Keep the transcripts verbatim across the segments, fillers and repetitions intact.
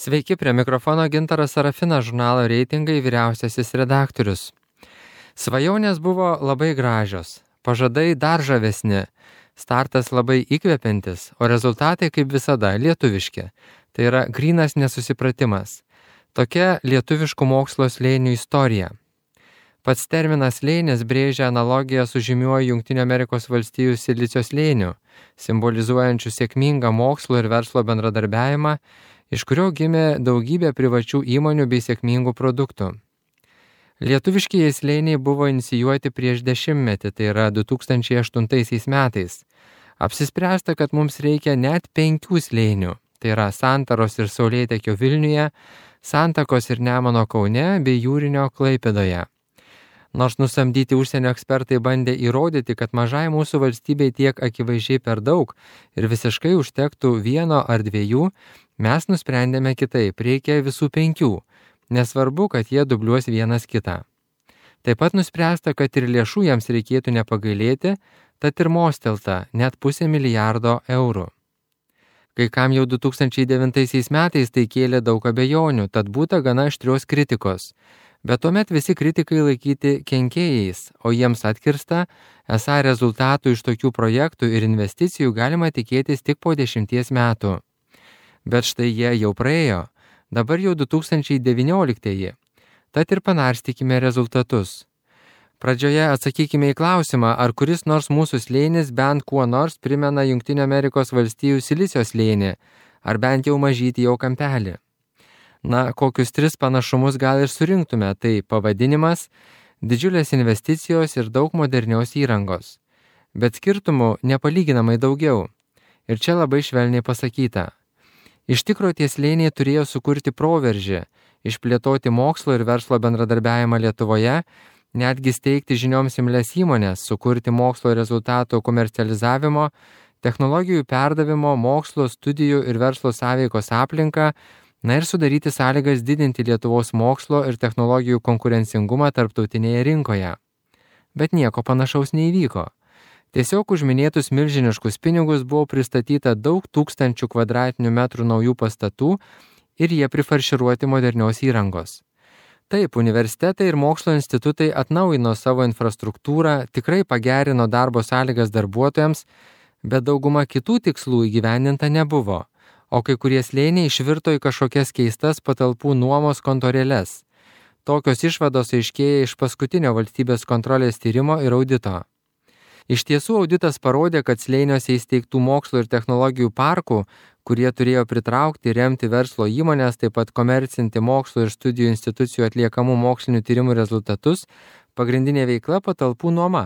Sveiki, prie mikrofono Gintaras Sarafinas, žurnalo Reitingai vyriausiasis redaktorius. Svajonės buvo labai gražios, pažadai dar žavesni, startas labai įkvepiantis, o rezultatai kaip visada lietuviški. Tai yra grynas nesusipratimas. Tokia lietuviškų mokslo slėnių istorija. Pats terminas slėnis brėžia analogiją su žymiuoju Jungtinių Amerikos valstijų silicio slėniu, simbolizuojančiu sėkmingą mokslo ir verslo bendradarbiavimą, iš kurio gimė daugybė privačių įmonių bei sėkmingų produktų. Lietuviškieji slėniai buvo inicijuoti prieš dešimtmetį, tai yra du tūkstančiai aštuntaisiais metais. Apsispręsta, kad mums reikia net penkių slėnių, tai yra Santaros ir Saulėtekio Vilniuje, Santakos ir Nemuno Kaune bei Jūrinio Klaipėdoje. Nors nusamdyti užsienio ekspertai bandė įrodyti, kad mažai mūsų valstybei tiek akivaizdžiai per daug ir visiškai užtektų vieno ar dviejų, mes nusprendėme kitaip, reikia visų penkių, nesvarbu, kad jie dubliuos vienas kitą. Taip pat nuspręsta, kad ir lėšų jiems reikėtų nepagailėti, tad ir mostelta net pusę milijardo eurų. Kai kam jau du tūkstančiai devintaisiais metais tai kėlė daug abejonių, tad būta gana aštrios kritikos. Bet tuomet visi kritikai laikyti kenkėjais, o jiems atkirsta, esą rezultatų iš tokių projektų ir investicijų galima tikėtis tik po dešimties metų. Bet štai jie jau praėjo, dabar jau du tūkstančiai devynioliktieji, tad ir panarstykime rezultatus. Pradžioje atsakykime į klausimą, ar kuris nors mūsų slėnis bent kuo nors primena Jungtinių Amerikos valstijų silicio slėnį, ar bent jau mažytį jo kampelį. Na, kokius tris panašumus gal ir surinktume, tai pavadinimas, didžiulės investicijos ir daug modernios įrangos. Bet skirtumų nepalyginamai daugiau. Ir čia labai švelniai pasakyta. Iš tikro tie slėniai turėjo sukurti proveržį, išplėtoti mokslo ir verslo bendradarbiavimą Lietuvoje, netgi steigti žinioms imlias įmonės, sukurti mokslo rezultatų komercializavimo, technologijų perdavimo, mokslo, studijų ir verslo sąveikos aplinką, na ir sudaryti sąlygas didinti Lietuvos mokslo ir technologijų konkurencingumą tarptautinėje rinkoje. Bet nieko panašaus neįvyko. Tiesiog už minėtus milžiniškus pinigus buvo pristatyta daug tūkstančių kvadratinių metrų naujų pastatų ir jie prifarširuoti modernios įrangos. Taip, universitetai ir mokslo institutai atnaujino savo infrastruktūrą, tikrai pagerino darbo sąlygas darbuotojams, bet dauguma kitų tikslų įgyvendinta nebuvo. O kai kurie slėniai išvirto į kažkokias keistas patalpų nuomos kontorėles. Tokios išvados aiškėja iš paskutinio valstybės kontrolės tyrimo ir audito. Iš tiesų auditas parodė, kad slėniuose įsteigtų mokslo ir technologijų parkų, kurie turėjo pritraukti, remti verslo įmonės, taip pat komercinti mokslo ir studijų institucijų atliekamų mokslinių tyrimų rezultatus, pagrindinė veikla patalpų nuoma.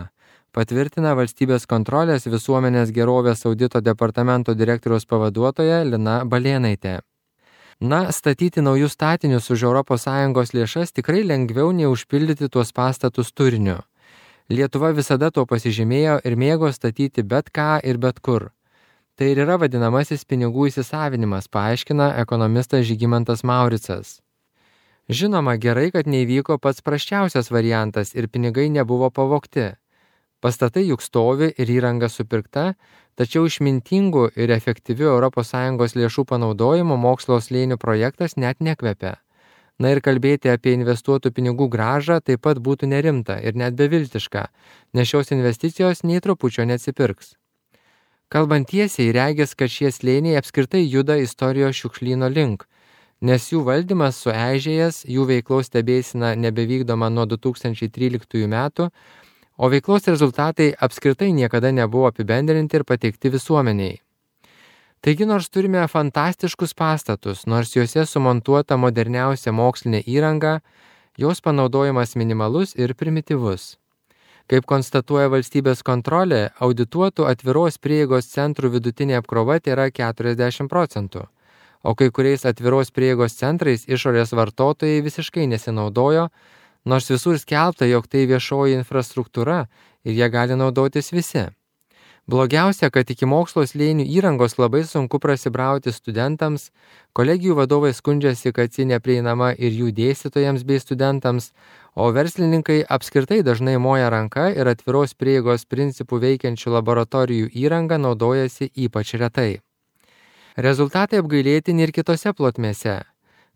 Patvirtina valstybės kontrolės visuomenės gerovės audito departamento direktoriaus pavaduotoja Lina Balėnaitė. Na, statyti naujus statinius už Europos Sąjungos lėšas tikrai lengviau nei užpildyti tuos pastatus turiniu. Lietuva visada to pasižymėjo ir mėgo statyti bet ką ir bet kur. Tai ir yra vadinamasis pinigų įsisavinimas, paaiškina ekonomistas Žygimantas Mauricas. Žinoma, gerai, kad neįvyko pats prasčiausias variantas ir pinigai nebuvo pavogti. Pastatai juk stovi ir įranga supirkta, tačiau išmintingų ir efektyvių Europos Sąjungos lėšų panaudojimo mokslo slėnių projektas net nekvepia. Na ir kalbėti apie investuotų pinigų grąžą taip pat būtų nerimta ir net beviltiška, nes šios investicijos nei trupučio neatsipirks. Kalbant tiesiai, regis, kad šie slėniai apskritai juda istorijos šiukšlyno link, nes jų valdymas sueižėjęs, jų veiklos stebėsena nebevykdoma nuo du tūkstančiai tryliktųjų metų, o veiklos rezultatai apskritai niekada nebuvo apibendrinti ir pateikti visuomeniai. Taigi nors turime fantastiškus pastatus, nors juose sumontuota moderniausia mokslinė įranga, jos panaudojimas minimalus ir primityvus. Kaip konstatuoja valstybės kontrolė, audituotų atviros prieigos centrų vidutinė apkrova yra keturiasdešimt procentų, o kai kuriais atviros prieigos centrais išorės vartotojai visiškai nesinaudojo, nors visur skelbta, jog tai viešoji infrastruktūra ir jie gali naudotis visi. Blogiausia, kad iki mokslo slėnių įrangos labai sunku prasibrauti studentams, kolegijų vadovai skundžiasi, kad ji neprieinama ir jų dėstytojams bei studentams, o verslininkai apskritai dažnai moja ranka ir atviros prieigos principų veikiančių laboratorijų įrangą naudojasi ypač retai. Rezultatai apgailėtini ir kitose plotmėse.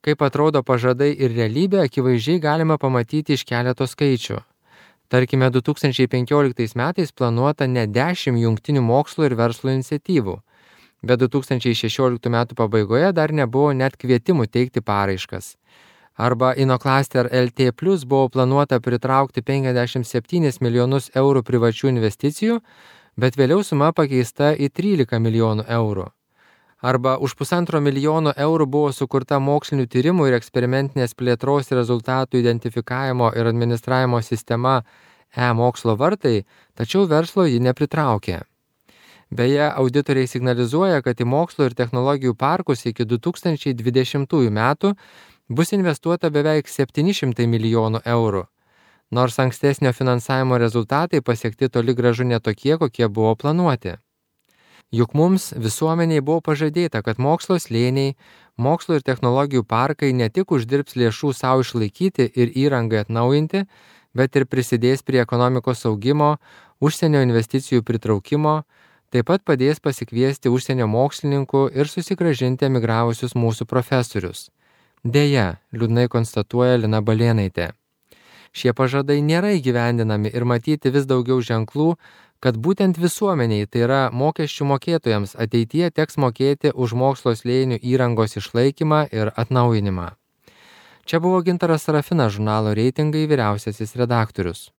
Kaip atrodo pažadai ir realybė, akivaizdžiai galima pamatyti iš keleto skaičių. Tarkime, du tūkstančiai penkioliktais metais planuota ne dešimt jungtinių mokslo ir verslo iniciatyvų, bet du tūkstančiai šešioliktų metų pabaigoje dar nebuvo net kvietimų teikti paraiškas. Arba Inoclaster L T plus buvo planuota pritraukti penkiasdešimt septynis milijonus eurų privačių investicijų, bet vėliau suma pakeista į trylika milijonų eurų. Arba už pusantro milijono eurų buvo sukurta mokslinių tyrimų ir eksperimentinės plėtros rezultatų identifikavimo ir administravimo sistema e-mokslo vartai, tačiau verslo ji nepritraukė. Beje, auditoriai signalizuoja, kad į mokslo ir technologijų parkus iki du tūkstančiai dvidešimtųjų metų bus investuota beveik septyni šimtai milijonų eurų, nors ankstesnio finansavimo rezultatai pasiekti toli gražu netokie, kokie buvo planuoti. Juk mums visuomeniai buvo pažadėta, kad mokslo slėniai, mokslo ir technologijų parkai ne tik uždirbs lėšų savo išlaikyti ir įrangai atnaujinti, bet ir prisidės prie ekonomikos augimo, užsienio investicijų pritraukimo, taip pat padės pasikviesti užsienio mokslininkų ir susigrąžinti emigravusius mūsų profesorius. Deja, liūdnai konstatuoja Lina Balėnaitė. Šie pažadai nėra įgyvendinami ir matyti vis daugiau ženklų, kad būtent visuomeniai, tai yra mokesčių mokėtojams, ateityje teks mokėti už mokslo slėnių įrangos išlaikymą ir atnaujinimą. Čia buvo Gintaras Sarafinas, žurnalo Reitingai vyriausiasis redaktorius.